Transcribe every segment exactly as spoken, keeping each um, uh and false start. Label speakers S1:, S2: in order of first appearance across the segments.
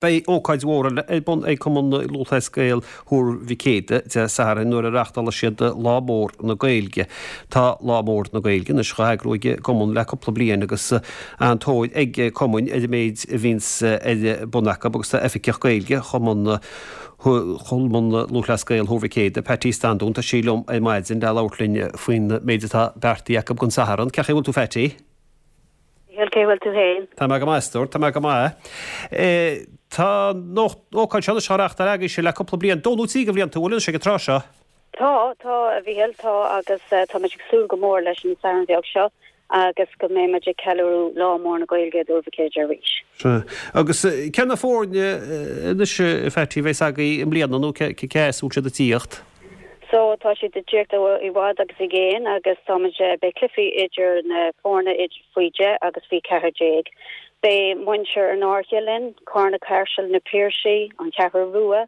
S1: Beidh ócáid mhór eile ar bun ag Cumann Lúthchleas Gael Thuar Mhic Éadaigh Dé Sathairn nuair a reáchtálfaidh siad Lá Mór na Gaeilge. Tá Lá Mór na Gaeilge anois á eagrú ag an gcumann le cúpla bliain agus an-tóir ag cumainn ar an méid a bhíonns ar bun acu agus tá Oifigeach Gaeilge Chumann Chumann Lúthchleas Gael Thuar Mhic Éadaigh, Patty Standún, tá sí liom ar maidin le labhairt linn faoin méid atá beartaithe acu don Satharn. Cén chaoi a bhfuil tú Phatty?
S2: Cén chaoi a bhfuil tú féin?
S1: Tá mé go maith, a stór, tá mé go maith. Tá an ócáid seo anois á reáchtáil agaibhse le cúpla bliain, dó nó trí de bhlianta, bhfuil anois ag an tráth seo?
S2: Tá, tá, a Mhíchíl, tá agus tá muid ag súil go mór leis an Satharn bheag seo agus go mbeidh muid ag ceiliúradh Lá Mór na Gaeilge i dTuar Mhic Éadaigh arís.
S1: Sea. Agus cé na foirne anois, a Phatty, a bheas agaibh i mbliana nó cé as a bhfuil siad ag tíocht?
S2: So tá siad ag tíocht ó i bhfad agus i gcéin agus táimid beidh cluichí idir na foirne idir faoi deich agus faoi ceathair déag. Beidh muintir an Fhairche linn, Carna Caiseal, Na Piarsaigh, An Cheathrú Rua,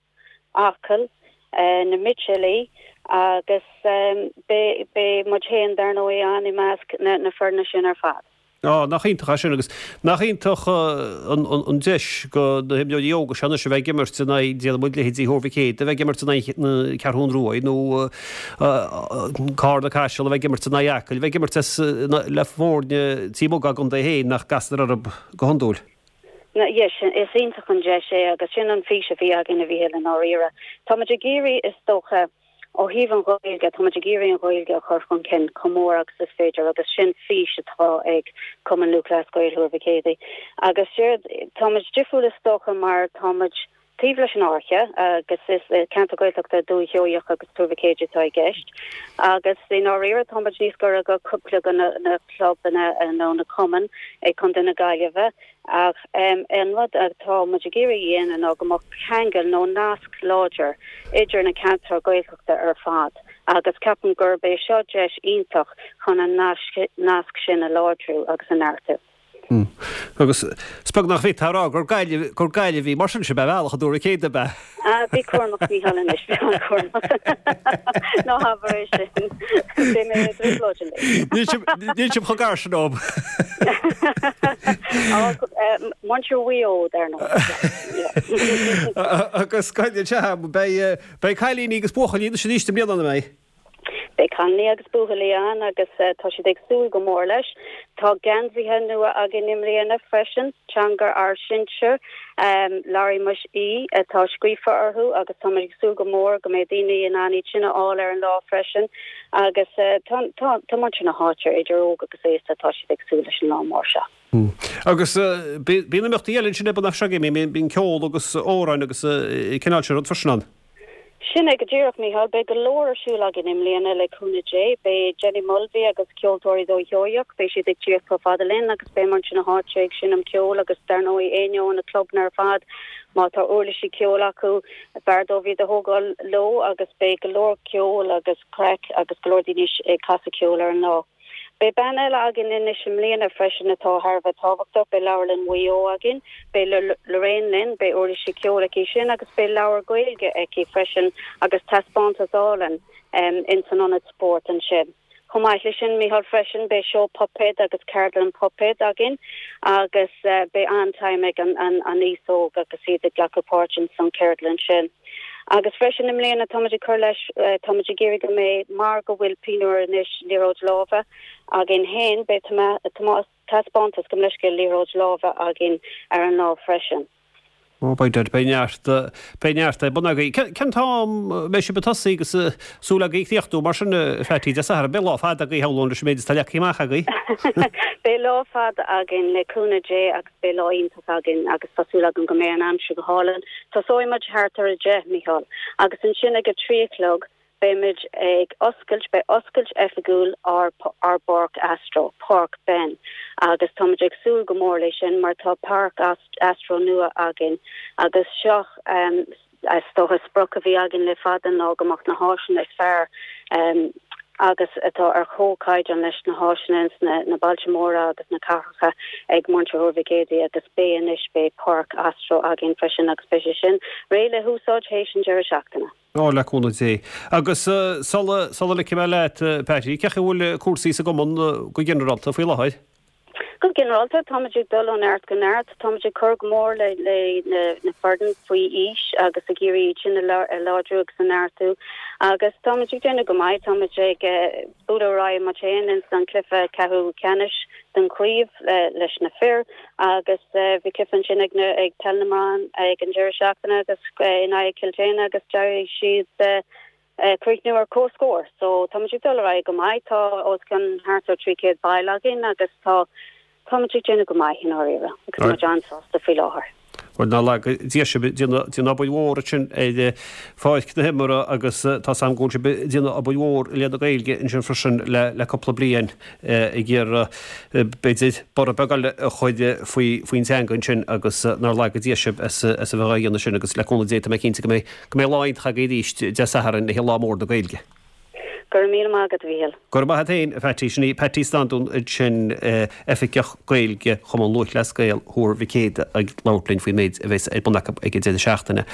S2: Acaill, na Mitchilligh agus beidh beidh muid féin dar ndóigh ann i measc na na foirne sin ar fad.
S1: Á, nach iontach é sin agus nach iontach an deis do na himreoirí óga seo anois a bheith ag imirt in aghaidh, déarfaidh muid, leithéidí Thuar Mhic Éadaigh, a bheith ag imirt in aghaidh na Ceathrún Rua nó Carna Caiseal a bheith ag imirt in aghaidh Acaill, a bheith ag imirt le foirne taobh amuigh dá gcontae féin nach gcastar orthu go hiondúil.
S2: Yes, is iontach an deis é agus sin an fís a bhí againn a Mhíchíl i ndáiríre. Táimid ag iarraidh is dócha Ó thaobh an Ghaeilge, táimid ag iarraidh an Ghaeilge a chur chun cinn chomh mór agus is féidir agus sin fís atá ag Cumann Lúthchleas Gael Thuar Mhic Éadaigh. Agus séard, táimid difriúil is dócha mar táimid taobh leis an Fháirche agus is ceantar Gaeltachta Dúiche Sheoigheach agus Tuar Mhic Éadaigh atá i gceist. Agus i ndáiríre táimid níos gaire do cúpla de na clubanna nó na cumainn i Contae na Gaillimhe. Ach an rud atá muid ag iarraidh a dhéanamh ná go mbeadh ceangal nó nasc láidir idir na ceantair Ghaeltachta ar fad agus ceapaim gurb é seo deis iontach chun an nasc sin a láidriú agus a neartú.
S1: Agus is beag nach bhféadfá a rá gur Gaillimh, gur Gaillimh í mar sin, sin ar bhealach i dTuar Mhic Éadaigh ab ea?
S2: Ah, bí cúramach, Mícheál anois, bí an-chúramach. Ná habair é sin. Beidh mé i dtrioblóid anois.
S1: Níl sibh chomh gar sin dóibh.
S2: Muintir Mhaigh Eo, dar ndóigh.
S1: Agus beidh beidh cailíní agus buachaillí anois arís i mbliana, an mbeidh?
S2: Beidh cailíní agus buachaillí ann agus tá siad ag súil go mór leis. Tá geansaithe nua againn i mbliana freisin, Teanga ár Sinsear, Labhraímis Í atá scríofa orthu agus táimid ag súil go mór go mbeidh daoine in ann iad sin a fháil ar an lá freisin agus tá tá muintir na háite, idir óg agus aosta, tá siad ag súil leis an lá mór seo.
S1: Agus bíonn imeachtaí eile ansin ar bun ag bíonn ceol agus amhráin agus cineál sin rud freisin ann.
S2: Sin é go díreach, Mícheál. Beidh go leor ar siúl againn i mbliana le cúnamh Dé. Beidh Jenny Mulvey agus Ceoltóirí Dhúiche Sheoigheach, beidh siad ag tíocht chomh fada linn agus beidh muintir na háite ag seinm ceoil agus dar ndóigh éinne ó na clubanna ar fad, má tá uirlisí ceoil acu, b'fhearr dóibh iad a thógáil leo agus beidh go leor ceoil agus craic agus go leor daoine ag casadh ceoil ar an lá. Beidh bean eile againn anois i mbliana freisin atá thar a bheith tábhachtach, beidh Leabharlann Mhaigh Eo againn, beidh Lorraine linn, beidh uirlisí ceoil aici sin agus beidh leabhar Gaeilge aici freisin agus taispeántas álainn ins an ionad spóirt ansin. Chomh maith leis sin, Mícheál, freisin, beidh seó puipéad agus ceardlann puipéad againn agus beidh an-time ag an aos óg agus iad ag glacadh páirt ins an cheardlann sin. Agus freisin i mbliana táimid ag cur leis, táimid ag iarraidh go mbeidh, mar go bhfuil pinniúr anois liathróid láimhe againn féin, beidh taispeántas gabh mo leithscéal liathróid láimhe againn ar an lá freisin.
S1: Ó, beidh, beidh neart, beidh neart ar bun agaibh. Cén t-am a mbeidh sibh ag tosaí agus súil agaibh críochnú mar sin, a Phatty, Dé Sathairn? Beidh lá fada agaibh, shamhlóinn, leis an méid atá leagtha amach agaibh.
S2: Beidh lá fada againn le cúnamh Dé agus beidh lá iontach againn agus tá súil agam go mbeidh an aimsir go hálainn. Tosóidh muid thart ar a deich, Mícheál, agus ansin ag a trí a chlog beimid ag oscailt, beidh oscailt oifigiúil ár ár bPáirc Astro, Páirc Ben, agus táimid ag súil go mór leis sin mar tá Páirc Astro nua againn agus seo is dócha sprioc a bhí againn le fada ná go mbeadh na háiseanna is fearr agus atá ar chomhchaighdeán leis na háiseanna ins na bailte móra agus na cathracha ag muintir Thuar Mhic Éadaigh agus beidh anois, beidh páirc Astro againn freisin agus beidh sé sin réidh le húsáid théis an deireadh seachtaine.
S1: Ó, le cúnamh Dé. Agus sula, sula ligfidh mé leat, Patty, cén chaoi a bhfuil cúrsaí sa gcumann go ginearálta faoi láthair?
S2: Go ginearálta táimid ag dul ó neart go neart, táimid ag cur go mór le le na na foirne faoi aois agus ag iarraidh sin a láidriú agus a neartú agus táimid ag déanamh go maith táimid ag bualadh ar aghaidh mar sin ins an cluiche ceathrú ceannais den chraobh leis na fir agus bhí cluiche ansin ag na ag peil na mban ag an deireadh seachtaine agus in aghaidh Cill Éanna agus d'éirigh siad críochnú ar comhscór. So táimid ag dul ar aghaidh go maith tá os cionn thart ar trí chéad ball againn agus tá táimid ag déanamh go maith i ndáiríre agus tá muid an-sásta faoi láthair.
S1: Bhuel nár laga Dia sibh ag déanamh obair mhór ansin ar pháirc na himeartha agus tá 's agam go bhfuil sibh ag déanamh obair mhór i leith na Gaeilge ansin freisin le le cúpla bliain ag iarraidh b'fhéidir borradh beag eile a chur faoi faoin teanga ansin agus nár laga Dia sibh as as a bheith á dhéanamh sin agus le cúnamh Dé tá mé cinnte go mbeidh go mbeidh lá iontach agaibh arís Dé Sathairn le Lá Mór na Gaeilge.
S2: Go raibh míle maith agat, a Mhíchíl.
S1: Go raibh maith agat féin, a Phatty. Sin í Patty Standún ansin, Oifigeach Gaeilge Chumann Lúthchleas Gael Thuar Mhic Éadaigh ag labhairt linn faoin méid a bheas ar bun acu ag an deireadh seachtaine.